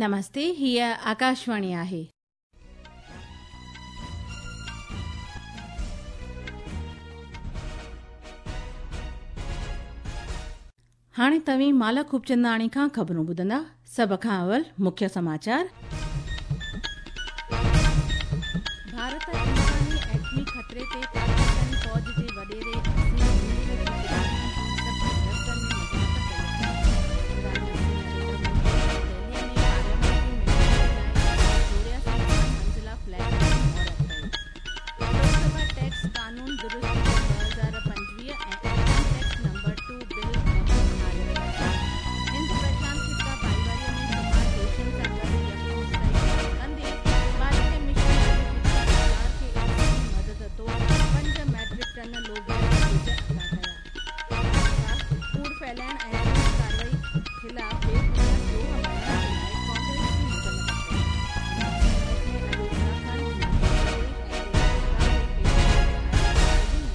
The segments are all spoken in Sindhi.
نمستي، هيء آڪاشواڻي آهي. هاڻي توهين مالا خوبچنداڻي کان خبرون ٻڌندا. سڀ کان اول مکيه سماچار. ڀارت امڪاني ايٽمي خطري تي پاڪستاني فوج جي وڏيري عاصم منير جي ٽپڻي جي سخت لفظن ۾ مذمت ڪئي آهي. پرڌان منتري نريندر مودي نئين دهلي ۾ پارليامينٽري ميمبرن جي لاء 184 گهڻ منزله فليٽن جو مهورت ڪيو. لوڪ سڀا ٽيڪس قانون درستي bill 2025 ۽ income tax number two bill بحال ڪيا. هند پرشانت خطه ڀائيواري ۾ شمار ديشن سان گڏ يڪمشتي قائم ڪندي ڀارتي مشن 350 اسٽار کي انساني مدد طور پنج ميٽرڪ ٽن لوبيا جا ٻج عطا ڪيا. ڀاجپا ڪوڙ ڦهلائڻ ۽ پوليس ڪارروائي خلاف بي بنياد ڏوهه مڙهڻ جي لاء ڪانگريس جي مذمت ڪئي. ان ميچ ۾ اڄ اتراکنڊ، هماچل پرديش ۽ ڪجهه گجرات جي کيترن تي آيل گراري ۾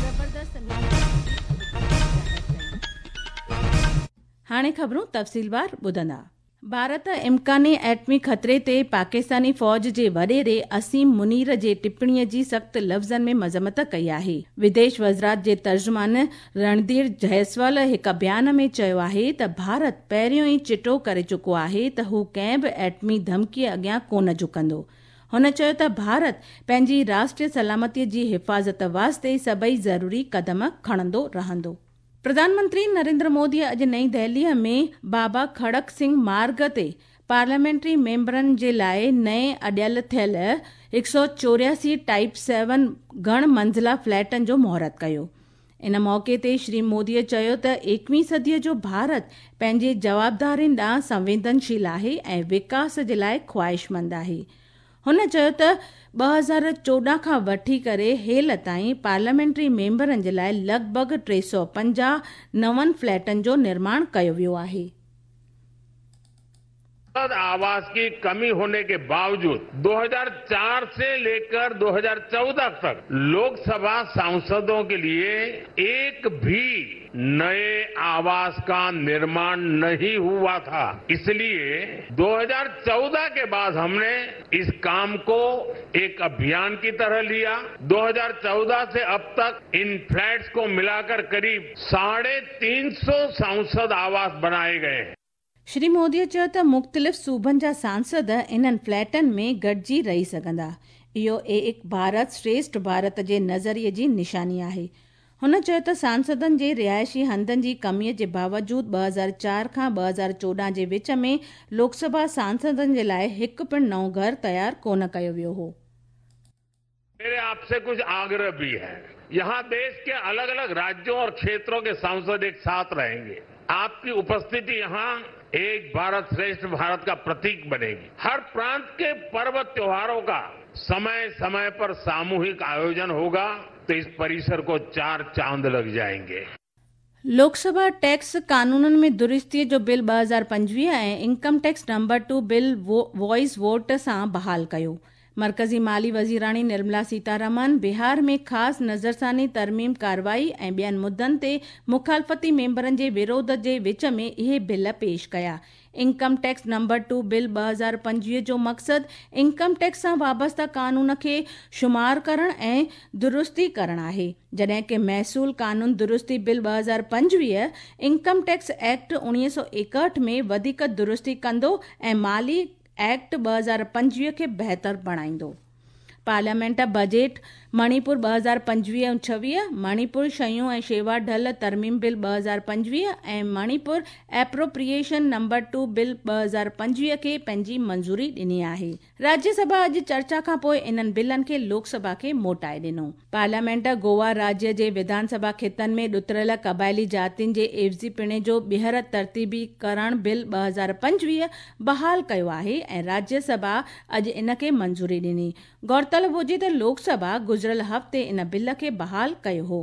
زبردست مينهن وسڻ جي اڳڪٿي ظاهر ڪئي. هاڻي خبرون تفصيلوار ٻڌندا. ڀارت امڪاني ايٽمي خطري تي پاڪستاني فوج جي وڏيري عاصم منير جي ٽپڻي جي سخت لفظن ۾ مذمت ڪئي آهي. وديش وزارت جي ترجمان رڻڌير جئسوال هڪ بيان ۾ چيو آهي ته ڀارت پهريون ئي چٽو ڪري چڪو آهي ته هو ڪنهن به ايٽمي ڌمڪي اڳيان ڪونه جهڪندو. هن چيو ته ڀارت پنهنجي راشٽري سلامتي جي حفاظت واسطي سڀئي ضروري قدم کڻندو رهندو. پرڌان منتري نريندر مودي اڄ نئين دهليء ۾ بابا کڙڪ سنگهه مارگ تي پارليامينٽري ميمبرن جي لاء نئين اڏيل ٿيل 184 ٽائيپ سيون گهڻ منزله فليٽن جو مهورت ڪيو. ان موقعي تي شري مودي چيو ته ايڪويهين صديء جو ڀارت پنهنجي جوابدارين ڏانهن سنويدنشيل آهي ۽ وڪاس جي لاء خواهشمند آهي. هن چيو ته 2014 کان وٺي ڪري هيل تائين پارليامينٽري ميمبرن جي لاء لڳ ڀڳ 350 نون فليٽن جو نرماڻ ڪيو ويو آهي. आवास की कमी होने के बावजूद 2004 से लेकर 2014 तक लोकसभा सांसदों के लिए एक भी नए आवास का निर्माण नहीं हुआ था। इसलिए 2014 के बाद हमने इस काम को एक अभियान की तरह लिया। 2014 से अब तक इन फ्लैट्स को मिलाकर करीब 350 सांसद आवास बनाए गए हैं। شري مودي چيو ته مختلف صوبن جا سانسد انهن فليٽن ۾ گڏجي رهي سگهندا. اهو ايڪ ڀارت شريشٺ ڀارت جي نظريي جي نشاني آهي. هن چيو ته سانسدن جي رهائشي هنڌن جي ڪمي جي باوجود 2004 کان 2014 جي وچ ۾ لوڪ سڀا سانسدن جي لاء هڪ پڻ نئون گهر تيار ڪونه ڪيو ويو هو. मेरे आपसे कुछ आग्रह भी है। यहां देश के अलग अलग राज्यों और क्षेत्रों के सांसद एक साथ रहेंगे। आपकी उपस्थिति यहां एक भारत श्रेष्ठ भारत का प्रतीक बनेगी। हर प्रांत के पर्व त्योहारों का समय समय पर सामूहिक आयोजन होगा तो इस परिसर को चार चांद लग जाएंगे। لوڪ سڀا ٽيڪس قانونن ۾ درستي جو bill 2025 ۽ income tax number two bill voice vote سان بحال ڪيو. مرڪزي مالي وزيراڻي نرملا سيتارامن بهار ۾ خاص نظرثاني ترميم ڪارروائي ۽ ٻين مدن تي مخالفتي ميمبرن جي وروڌ جي وچ ۾ اهي بل پيش ڪيا. Income tax number two bill 2025 جو مقصد انڪم ٽيڪس سان وابسته قانون کي شمار ڪرڻ ۽ درستي ڪرڻ آهي، جڏهن ڪه محصول قانون درستي بل 2025 انڪم ٽيڪس ايڪٽ 1961 ۾ وڌيڪ درستي ڪندو ۽ مالي ايڪٽ 2025 کي بهتر بڻائيندو. پارليامينٽ بجيٽ مڻيپور 2025 ۽ 26، مڻيپور شيون ۽ شيوا ڍل ترميم bill 2025 ۽ Manipur appropriation number two bill 2025 کي پنهنجي منظوري ڏني آهي. راجيه سڀا اڄ چرچا کانپوء انهن بلن کي لوڪ سڀا کي موٽائي ڏنو. پارليامينٽ گوا راجيه جي وڌان سڀا خطن ۾ ڏتڙيل قبائلي جاتين جي عيوضي پڻي جو ٻيهر ترتيبي ڪرڻ بل 2025 بحال ڪيو آهي ۽ راجيه سڀا اڄ ان کي منظوري ڏني. غور طلب هجي ته لوڪ سڀا گذريل هفتي ان بل کي بحال ڪيو هو.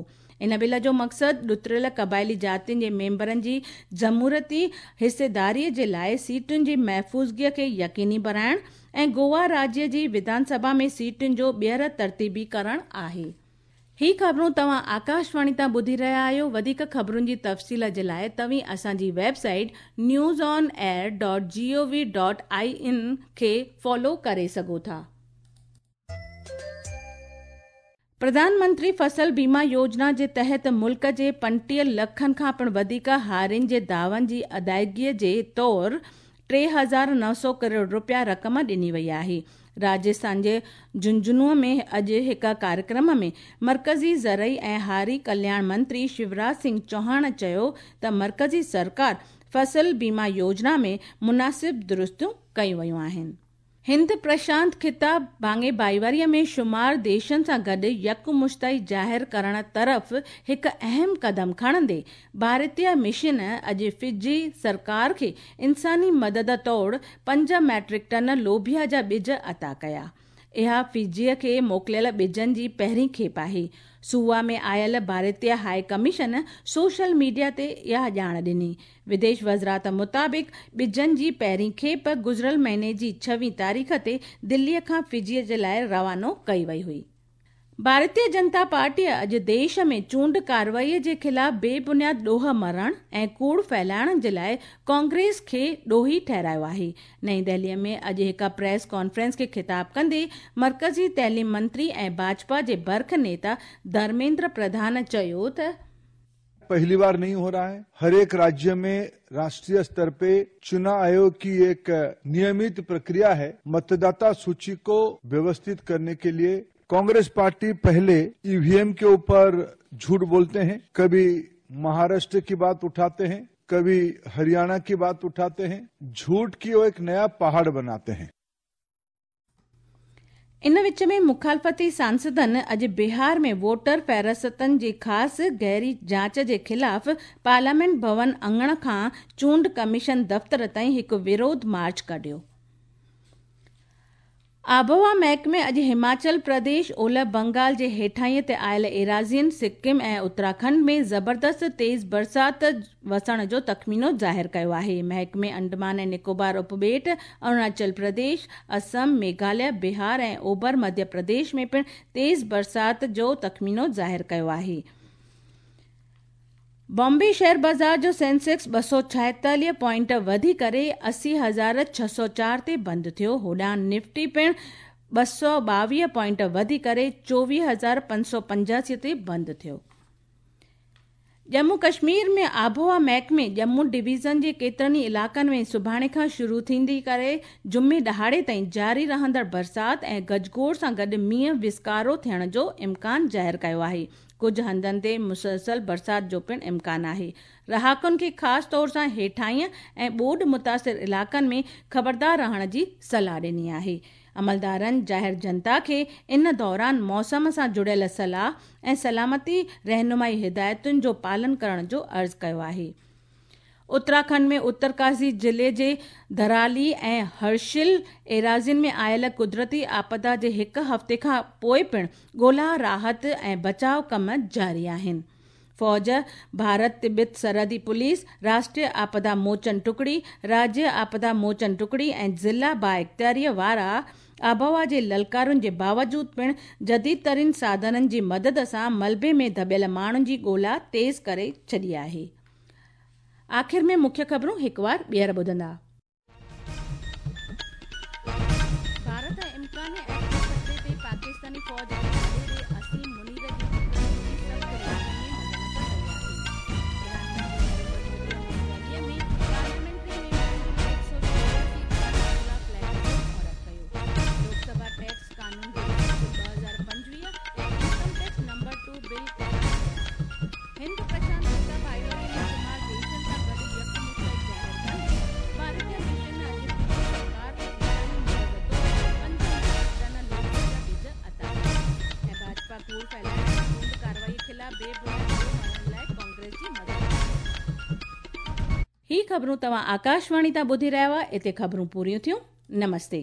ان بل جو مقصد ڏتڙيل قبائلي جاتين جي ميمبرن جي جمهوريتي حصيداري جي لاء سيٽن جي محفوظگي کي يقيني بڻائڻ ۽ گوا راجيه جي وڌان سڀا ۾ سيٽن جو ٻيهر ترتيبي ڪرڻ آهي. هي خبرون توهان آڪاشواڻي تان ٻڌي رهيا آهيو. وڌيڪ خبرن جي تفصيل جي لاء توهين اسان جي website news on air dot G O V dot I N کي فالو ڪري سگهو ٿا. پرڌان منتري فصل بيما يوجنا جي تحت ملڪ جي 35 لکن کان پڻ وڌيڪ هارين جي دعون جي ادائگي جي طور 3900 ڪروڙ رپيا رقم ڏني وئي آهي. راجسٿان جي جهنجهنو ۾ اڄ هڪ ڪاريڪرم ۾ مرڪزي زرعي ۽ هاري ڪلياڻ منتري شيوراج سنگهه چوهاڻ چيو ته مرڪزي سرڪار فصل بيما يوجنا ۾ مناسب درستيون ڪيون ويون آهن. هند پرشانت خطه ڀاڱي ڀائيواري ۾ شمار ديشن سان گڏ يڪمشتائي ظاهر ڪرڻ طرف هڪ اهم قدم کڻندي ڀارتيه مشن اڄ فجي سرڪار کي انساني مدد طور پنج ميٽرڪ ٽن لوبيا جا ٻج عطا ڪيا. اها فجيء کي موڪليل ٻجن جي پهرين کيپ آهي. سووا ۾ آيل ڀارتيه هاء ڪميشن سوشل ميڊيا تي اها ڄاڻ ڏني. وديش وزارت مطابق ٻجن جي پهرين کيپ گذريل مهيني جي ڇويهين تاريخ تي دليء کان فجيء جي لاء روانو ڪئي وئي هئي. ڀارتيه جنتا پارٽيء اڄ ديش ۾ چونڊ ڪارروائي جي خلاف بي بنياد ڏوهه مڙهڻ ۽ ڪوڙ ڦهلائڻ جي لاء ڪانگريس کي ڏوهي ٺهرايو آهي. نئين دهليء ۾ اڄ هڪ پريس ڪانفرنس کي خطاب ڪندي مرڪزي تعليم منتري ۽ ڀاجپا جي برک نيتا ڌرميندر پرڌان چيو ته، پهلي بار نهين هو رها هي، هر ايڪ راجيه مين راشٽريه ستر پي چنا آيوگ ڪي ايڪ نيمت پرڪريا هي، متداتا سوچي ڪو ويوستت ڪرني ڪي ليي ڪانگريس پارٽي پهلي اي وي ايم ڪي اوپر جهوٽ بولتي هين، ڪڀي مهاراشٽر ڪي بات اٺاتي هين، ڪڀي هرياڻا ڪي بات اٺاتي هين، جهوٽ ڪي وو ايڪ نيا پهاڙ بناتي هين. ان وچ ۾ مخالفتي سانسدن اڄ بهار ۾ ووٽر فهرستن جي خاص گهري جاچ جي خلاف پارليامينٽ ڀون اڱڻ کان چونڊ ڪميشن دفتر تائين هڪ وروڌ مارچ ڪڍيو. آبهوا محڪمي اڄ هماچل پرديش، اولهه بنگال جي هيٺاهينء تي آيل ايراضين، سڪم ۽ اتراکنڊ ۾ زبردست تيز برسات وسڻ جو تخمينو ظاهر ڪيو آهي. محڪمي انڊمان ۽ نڪوبار اپٻيٽ، اروناچل پرديش، اسم، ميگهاليه، بهار ۽ اوڀر مڌيه پرديش ۾ پڻ تيز برسات جو تخمينو ظاهر ڪيو آهي. بامبي شيئر بازار جو سينسيڪس 246 پوائنٽ وڌي ڪري 80,604 تي بند ٿيو. هوڏانهن نفٽي پڻ 222 پوائنٽ وڌي ڪري 24,585 تي بند ٿيو. ڄمون ڪشمير ۾ آبهوا محڪمي ڄمون ڊويزن جي ڪيترن ئي علائقن ۾ سڀاڻي کان شروع ٿيندي ڪري جمعي ڏهاڙي تائين جاري رهندڙ برسات ۽ گجگوڙ سان گڏ مينهن وسڪارو ٿيڻ جو امڪان ظاهر ڪيو آهي. ڪجهه هنڌن تي مسلسل برسات جو پڻ امڪان آهي. رهاڪن کي خاص طور سان هيٺاهين ۽ ٻوڏ متاثر علائقن ۾ خبردار رهڻ جي صلاح ڏني آهي. عملدارن ظاهر جنتا کي ان دوران موسم سان جڙيل صلاح ۽ سلامتي رهنمائي هدايتن جو پالن ڪرڻ جو عرض ڪيو آهي. اتراکنڊ ۾ اترڪاشي ضلعي جي ڌرالي ۽ هرشل ايراضين ۾ آيل قدرتي آپدا جي هڪ هفتي کان پوء پڻ ڳولا، راحت ۽ بچاء ڪم جاري آهن. فوج، ڀارت تبت سرحدي پوليس، راشٽريه آپدا موچن ٽڪڙي، راجيه آپدا موچن ٽڪڙي ۽ ضلع بااختياريء وارا آبهوا جي للڪارن جي باوجود پڻ جديد ترين ساڌنن جي مدد سان ملبي ۾ ڌٻيل ماڻهن جي ڳولا تيز ڪري ڇڏي آهي. آخر ۾ مکيه خبرون هڪوار ٻيهر ٻڌندا. ڀارت امڪاني ايٽمي خطري تي پاڪستاني فوج جي وڏيري عاصم منير جي تقرير جي سخت لفظن ۾ مذمت ڪئي آهي. پرڌان منتري نريندر مودي نئين دهلي ۾ پارليامينٽري ميمبرن جي لاء 184 پينسولا فليٽ جو مهورت ڪيو. لوڪ سڀا ٽيڪس قانون درستي bill 2025 ۽ income tax number two bill اعلان ڪيا. هند پرشانت خطه ڀائيواري ۾ شمار ديشن سان گڏ يڪمشتائي ظاهر ڪندي ڀارتيه مشن اڄ فجي سرڪار کي انساني مدد طور پنج ميٽرڪ ٽن لوبيا جا ٻج عطا ڪيا ۽ ڀاجپا ڪوڙ ڦهلائڻ ۽ چونڊ ڪارروائي خلاف بي بنياد ڏوهه مڙهڻ لاء ڪانگريس جي مذمت ڪئي. هي خبرون توهان آڪاشواڻي تان ٻڌي رهيا هئا اتي خبرون پوريون ٿيون نمستي.